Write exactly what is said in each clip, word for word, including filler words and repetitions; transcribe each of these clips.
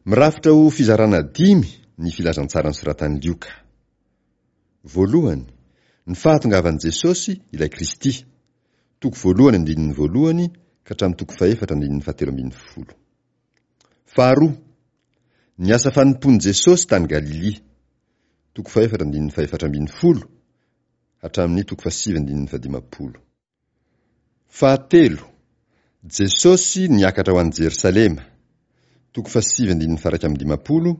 Mirafitra ho fizarana dimy ny filazantsara nosoratan'i Lioka. Voalohany, ny fahatongavan'i Jesosy ilay Kristy, toko voalohany andininy voalohany ka hatramin'ny toko fahefatra andininy fahatelo ambin'ny folo. Faharoa, ny asa fanompoan'i Jesosy tany Galilia, toko fahefatra andininy fahefatra ambin'ny folo hatramin'ny toko fahasivy andininy fahadimampolo. Fahatelo, Jesosy niakatra ho any Jerosalema, toko fahasivy andininy faha-iraika amby dimampolo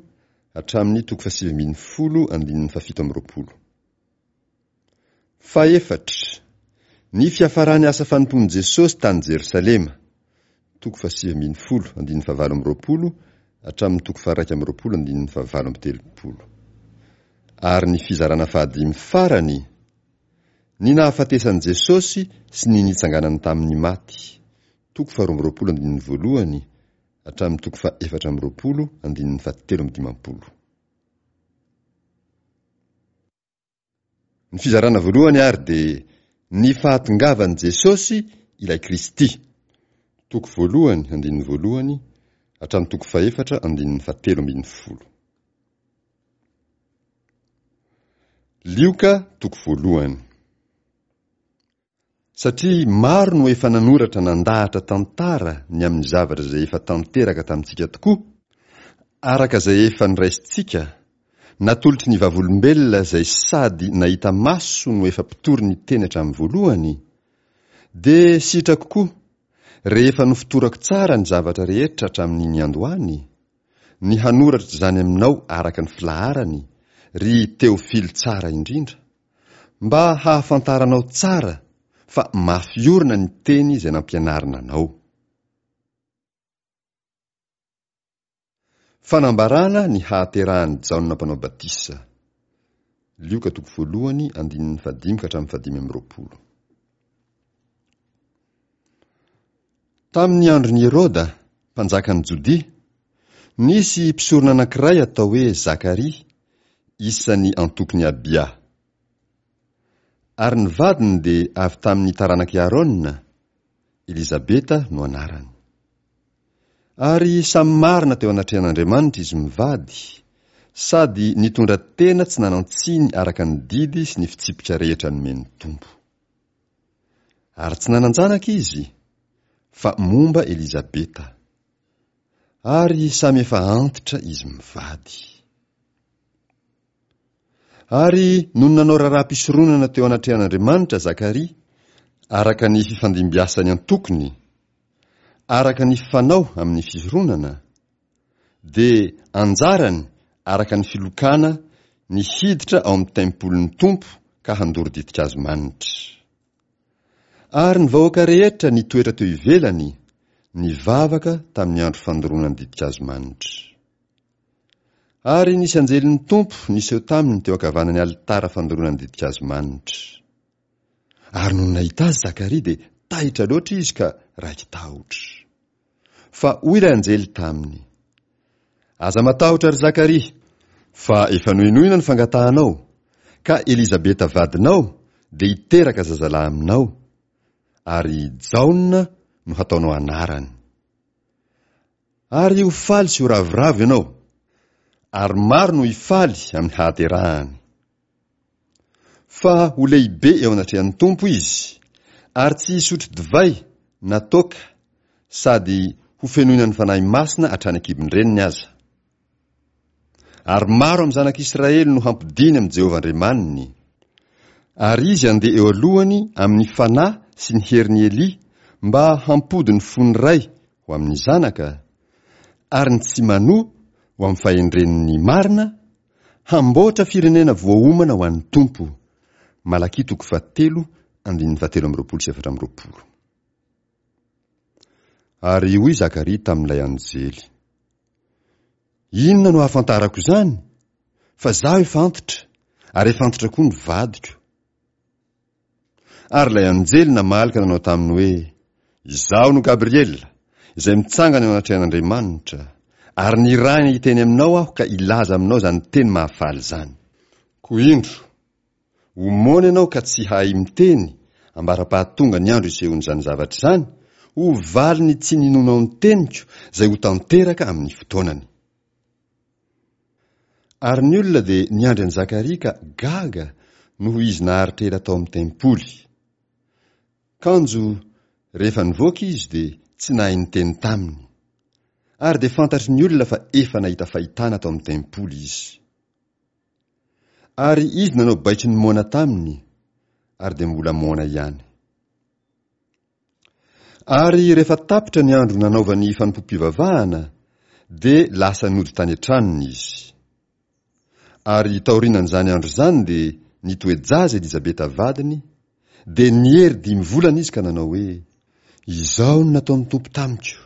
hatramin'ny toko fahasivy ambin'ny folo andininy fahafito amby roapolo. Fahefatra, ny fiafaran'ny asa fanompoan'i Jesosy tany Jerosalema, toko fahasivy ambin'ny folo andininy fahavalo amby roapolo hatramin'ny toko faha-iraika amby roapolo andininy fahavalo amby telopolo. Ary ny fizarana fahadimy farany, ny nahafatesan'i Jesosy sy ny nitsanganany tamin'ny maty, toko faharoa amby roapolo andininy voalohany hatramin'ny toko faha-efatra amby roapolo andininy fahatelo amby dimampolo. Ny fizarana voalohany ary dia ny fahatongavan'i Jesosy ilay Kristy, toko voalohany andininy voalohany hatramin'ny toko fahefatra andininy fahatelo ambin'ny folo. Lioka toko voalohany. Satria maro no efa nanoratra nandahatra tantara ny amin'ny zavatra izay efa tanteraka tamintsika tokoa, araka izay efa noraisintsika, natolotry ny vavolombelona izay sady nahita maso no efa mpitory ny teny hatramin'ny voalohany, dia sitrako koa, rehefa nofotorako tsara ny zavatra rehetra hatramin'ny niandohany, ny hanoratra izany aminao araka ny filaharany, ry Teofily tsara indrindra, mba hahafantaranao tsara fa mafy orina ny teny izay nampianarina anao. Fanambarana ny hahaterahan'i Jaona Mpanao Batisa. Lioka toko voalohany andininy fahadimy ka hatramin'ny fahadimy amby roapolo. Tamin'ny andron'i Heroda, mpanjakan'i Jodia, nisy mpisorona anankiray atao hoe Zakaria, isan'ny antokon'i Abia. Ary ny vadiny dia avy tamin'ny taranak'i Aarona, Elizabeta no anarany. Ary samy marina teo anatrehan'Andriamanitra izy mivady, sady nitondra tena tsy nanan-tsiny araka ny didy sy ny fitsipika rehetra nomen'ny Tompo. Ary tsy nanan-janaka izy, fa momba Elizabeta. Ary samy efa antitra izy mivady. Ary nony nanao raharaham-pisoronana teo anatrehan'Andriamanitra Zakaria, araka ny fifandimbiasan'ny antokony, araka ny fanao amin'ny fisoronana, dia anjarany araka ny filokana ny hiditra ao amin'ny tempolin'ny Tompo ka handoro ditin-kazo manitra. Ary ny vahoaka rehetra nitoetra teo ivelany, nivavaka tamin'ny andro fandoroana ny ditin-kazo manitra. Ary nisy anjelin'ny Tompo niseho taminy teo ankavanan'ny alitara fandoroana ny ditin-kazo manitra. Ary nony nahita azy Zakaria dia taitra loatra izy ka raiki-tahotra. Fa hoy ilay anjely taminy, Aza matahotra ry Zakaria, fa efa nohenoina ny fangatahanao, ka Elizabeta vadinao dia hiteraka zazalahy aminao, ary Jaona no hataonao anarany. Ary ho faly sy ho ravoravo ianao, ary maro no hifaly amin'ny hahaterahany. Fa ho lehibe eo anatrehan'ny Tompo izy, ary tsy hisotro divay na toaka, sady hofenoina ny Fanahy Masina hatrany an-kibon-dreniny aza. Ary maro amin'ny zanak'Israely no hampodiany amin'i Jehovah Andriamaniny. Ary izy handeha eo alohany amin'ny fanahy sy ny herin'i Elia mba hampody ny fon'ny ray ho amin'ny zanaka, ary ny tsy manoa ho amin'ny fahendren'ny marina, hamboatra firenena voaomana ho an'ny Tompo. Malakia toko fahatelo, andininy fahatelo amby roapolo sy efatra amby roapolo. Ary hoy Zakaria tamin'ilay anjely, Inona no ahafantarako izany? Fa izaho efa antitra, ary efa antitra koa ny vadiko. Ary ilay anjely namaly ka nanao taminy hoe, Izaho no Gabriela, izay mitsangana eo anatrehan'Andriamanitra, ary nirahina hiteny aminao aho ka hilaza aminao izany teny mahafaly izany. Koa indro, ho moana ianao ka tsy hahay miteny, ambara-pahatonga ny andro hisehoan'izany zavatra izany, ho valin'ny tsy ninoanao ny teniko, izay ho tanteraka amin'ny fotoanany. Ary ny olona dia niandry an'i Zakaria ka gaga noho izy naharitra ela tao amin'ny tempoly. Kanjo rehefa nivoaka izy dia tsy nahay niteny taminy. Ary dia fantatry ny olona fa efa nahita fahitana tao amin'ny tempoly izy. Ary izy nanao baiko ny moana taminy, ary dia mbola moana ihany. Ary rehefa tapitra ny andro nanaovany fanompoam-pivavahana, dia lasa nody tany an-tranony izy. Ary taorianan'izany andro izany dia nitoe-jaza Elizabeta vadiny, dia niery dimy volana izy ka nanao hoe, Izao no nataon'ny Tompo tamiko,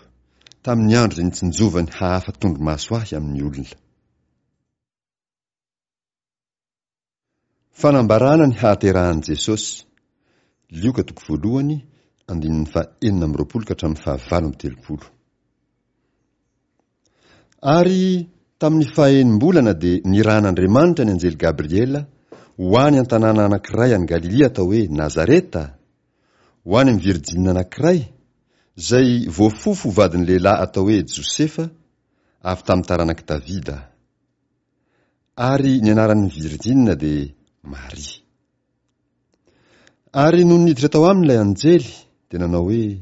tamin'ny andro izay nitsinjovany hahafa tondromaso ahy amin'ny olona. Fanambarana ny hahaterahan'i Jesosy, Lioka toko voalohany, andininy faha enina amby roapolo ka hatramin'ny faha valo amby telopolo. Ary tamin'ny fahaenim-bolana dia nirahan'Andriamanitra ny anjely Gabriela ho any an-tanàna anankiray any Galilia atao hoe Nazareta, ho any amin'ny virjinina anankiray, izay voafofo ho vadin'ny lehilahy atao hoe Josefa, avy tamin'ny taranak'i Davida. Ary ny anaran'ny virjinina dia Maria. Ary nony niditra tao aminy ilay anjely, dia nanao hoe,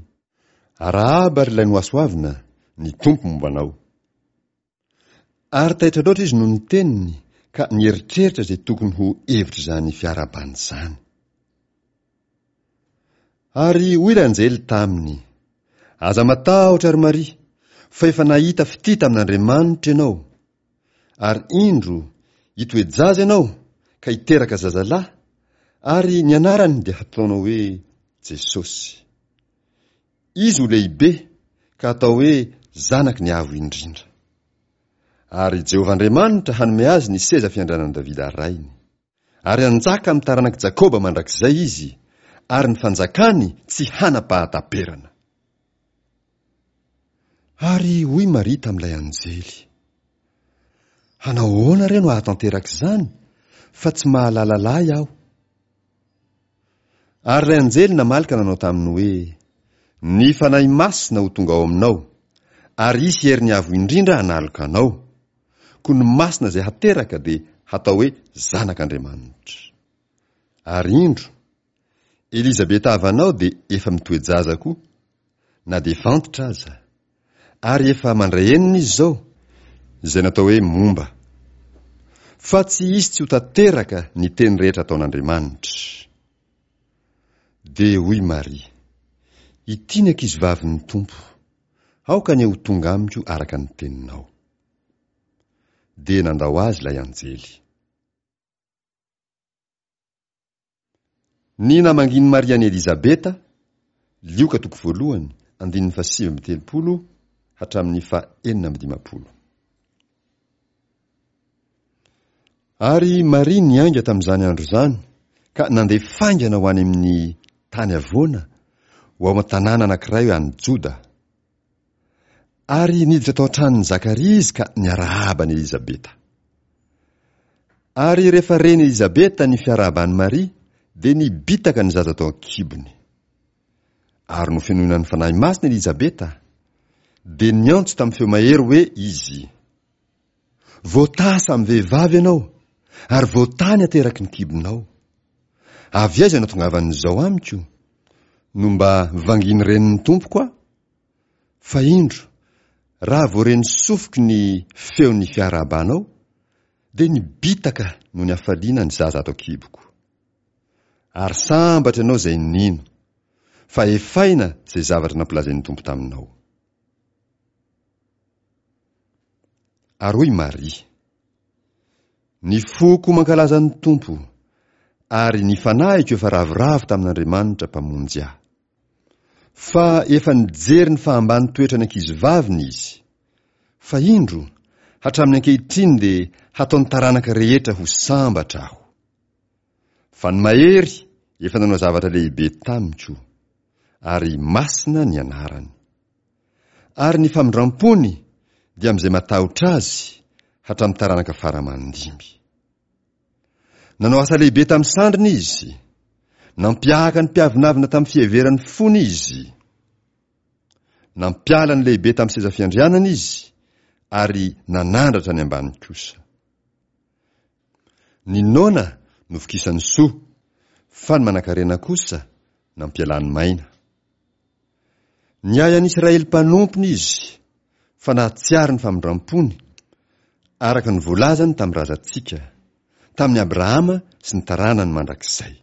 Arahaba ry ilay nohasoavina, ny Tompo momba anao. Ary taitra loatra izy noho ny teniny ka nieritreritra izay tokony ho hevitr'izany fiarahabana izany. Ary hoy ilay anjely taminy, Aza matahotra, ry Maria, fa efa nahita fitia tamin'Andriamanitra ianao. Ary indro, hitoe-jaza ianao ka hiteraka zazalahy, ary ny anarany dia hataonao hoe Jesosy. Izy ho lehibe ka hatao hoe Zanaky ny Avo Indrindra. Ary Jehovah Andriamanitra hanome azy ny seza fiandrianan'i Davida rainy. Ary hanjaka amin'ny taranak'i Jakoba mandrakizay izy, ary ny fanjakany tsy hanam-pahataperana. Ary hoy Maria tamin'ilay anjely, Hanao ahoana re no hahatanteraka izany, fa tsy mahalala lahy aho? Ary ilay anjely namaly ka nanao taminy hoe, Ny Fanahy Masina ho tonga ao aminao, ary hisy herin'ny Avo Indrindra hanaloka anao. Koa ny Masina izay hateraka dia hatao hoe Zanak'Andriamanitra. Ary indro, Elizabeta havanao dia efa mitoe-jaza koa, na dia efa antitra aza, ary efa mandray enina izy izao, izay natao hoe momba. Fa tsy hisy tsy ho tanteraka ny teny rehetra ataon'Andriamanitra. Dia hoy Maria, Ity ny ankizivavin'ny Tompo, aoka anie ho tonga amiko araka ny teninao. Dia nandao azy ilay anjely. Ny namangian'i Maria an'i Elizabeta, Lioka toko voalohany, andininy fahasivy amby telopolo hatramin'ny fahenina amby dimampolo. Ary Maria niainga tamin'izany andro izany ka nandeha faingana ho any amin'ny tany havoana, ho ao an-tanàna anankiray any Joda. Ary niditra tao an-tranon'i Zakaria izy ka niarahaba an'i Elizabeta. Ary rehefa ren'i Elizabeta ny fiarahaban'i Maria, dia nibitaka ny zaza tao an-kibony. Ary nofenoina ny Fanahy Masina Elizabeta, dia niantso tamin'ny feo mahery hoe izy, Voataha samy vehivavy ianao, ary voataha ny ateraky ny kibonao. Avy aiza no ahatongavan'izao amiko? No mba vangin'ny renin'ny Tompoko aho? Fa indro, raha vao ren'ny sofiko ny feon'ny fiarahabanao, dia nibitaka noho ny hafaliana ny zaza ato an-kiboko. Ary sambatra ianao izay nino, fa efaina izay zavatra nampilazain'ny Tompo taminao. Ary hoy Maria, Ny foko mankalaza ny Tompo, ary ny fanahiko efa ravoravo tamin'Andriamanitra Mpamonjy ahy. Fa efa nijery ny fahambany toetran'ny ankizivaviny izy. Fa indro, hatramin'ny ankehitriny dia hataon'ny taranaka rehetra ho sambatra aho. Fa ny Mahery efa nanao zavatra lehibe tamiko, ary masina ny anarany. Ary ny famindram-pony dia amin'izay matahotra azy hatramin'ny taranaka fara aman-dimby. Nanao asa lehibe tamin'ny sandriny izy. Nampiahaka ny mpiavonavona tamin'ny fiheveran'ny fony izy. Nampiala ny lehibe tamin'ny seza fiandrianana izy, ary nanandratra ny ambany kosa. Ny noana novokisany soa, fa ny manankarena kosa nampialany maina. Niahy an'Israely mpanompony izy, fa nahatsiaro ny famindrampony, araka ny voalazany tamin'ny razantsika, tamin'i Abrahama sy ny taranany mandrakizay.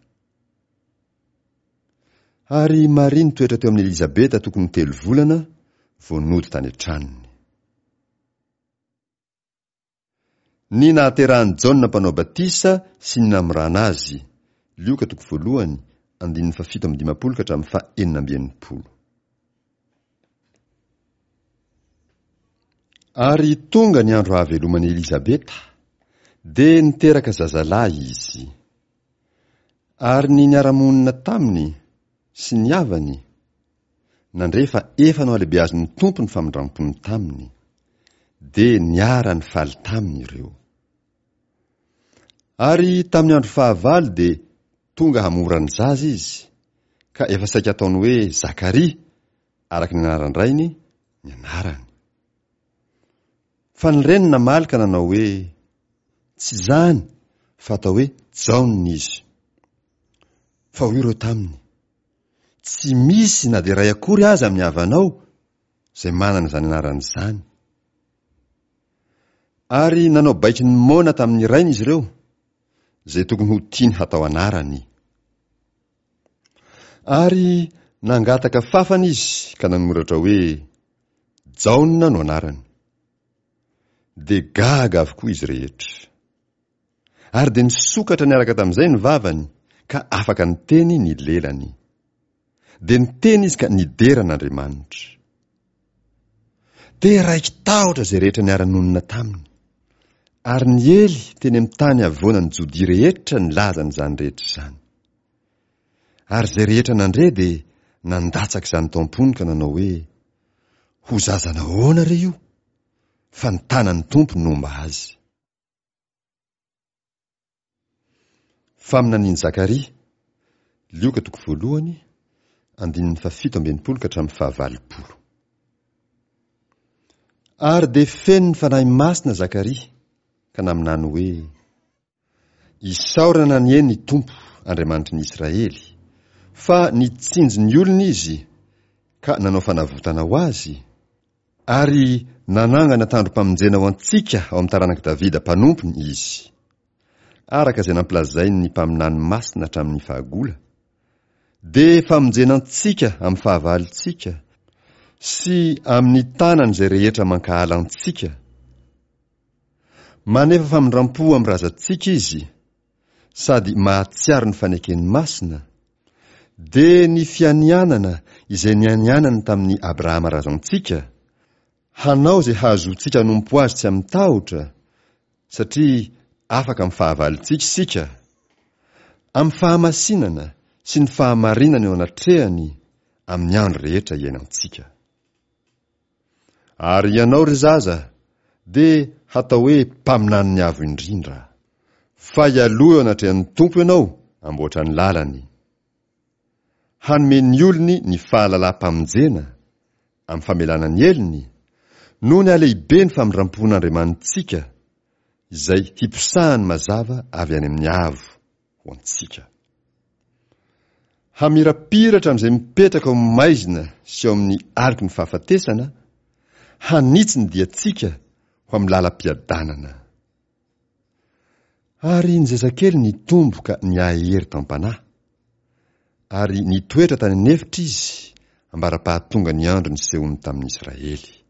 Ary Maria nitoetra teo amin'i Elizabeta tokony ho telo volana vao nody tany an-tranony. Ny nahaterahan'i Jaona Mpanao Batisa sy ny namorana azy, Lioka toko voalohany, andininy fahafito amby dimampolo ka hatramin'ny fahenina amby enimpolo. Ary tonga ny andro hahaveloman'i Elizabeta, dia niteraka zazalahy izy. Ary ny niara-monina taminy sy ny havany, nandre fa efa nohalehibeazin'ny Tompo ny famindrampony taminy, dia niara-nifaly taminy ireo. Ary tamin'ny andro fahavalo dia tonga hamora ny zaza izy, ka efa saika ataony hoe Zakaria, araka ny anaran-drainy, ny anarany. Fa ny reniny namaly ka nanao hoe, Tsy izany, fa atao hoe Jaona izy. Fa hoy ireo taminy, Tsy misy na dia iray akory aza amin'ny havanao izay manana izany anarana izany. Ary nanao baiko ny moana tamin'ny rainy izy ireo, izay tokony ho tiany hatao anarany. Ary nangataka fafana izy ka nanoratra hoe, Jaona no anarany. Dia gaga avokoa izy rehetra. Ary dia nisokatra niaraka tamin'izay ny vavany ka afaka niteny ny lelany. Dia niteny izy ka nidera an'Andriamanitra. Dia raiki-tahotra izay rehetra niara-nonina taminy. Ary niely teny amin'ny tany havoanan'i Jodia rehetra nilaza an'izany rehetra izany. Ary izay rehetra nandre dia nandatsaka izany tao am-pony ka nanao hoe, Ho zaza nahoana re io? Fa ny tanan'ny Tompo nomba azy. Faminanian'i Zakaria, Lioka toko voalohany, andininy fahafito amby enimpolo ka hatramin'ny fahavalopolo. Ary dia feno ny Fanahy Masina Zakaria ka naminany hoe, Isaorana anie ny Tompo Andriamanitry ny Israely, fa nitsinjo ny olony Izy ka nanao fanavotana ho azy, Ary nanangana tandrom-pamonjena ho antsika ao amin'ny taranak'i Davida mpanompony Izy, araka izay nampilazainy ny mpaminany masina hatramin'ny fahagola, dia famonjena antsika amin'ny fahavalontsika sy amin'ny tanan'izay rehetra mankahala antsika. Manefa famindram-po amin'ny razantsika Izy, sady mahatsiaro ny fanekeny masina, dia ny fianianana izay nianianany tamin'i Abrahama razantsika, hanao izay hahazoantsika hanompo Azy tsy amin-tahotra, satria afaka amin'ny fahavalontsika isika, amin'ny fahamasinana sy ny fahamarinana eo anatrehany amin'ny andro rehetra iainantsika. Ary ianao, ry zaza, dia hatao hoe mpaminanin'ny Avo Indrindra. Fa hialoha eo anatrehan'ny Tompo ianao hamboatra ny lalany. Hanome ny olony ny fahalalam-pamonjena, amin'ny famelana ny helony, noho ny halehiben'ny famindram-pon'Andriamanitsika, izay hiposahany mazava avy any amin'ny avo ho antsika. Hamirapiratra amin'izay mipetraka ao amin'ny maizina sy ao amin'ny aloky ny fahafatesana, hanitsy ny diantsika ho amin'ny lalam-piadanana. Ary ny zazakely nitombo ka niahery tam-panahy, ary nitoetra tany an'efitra izy ambara-pahatonga ny andro nisehoany tamin'ny Israely.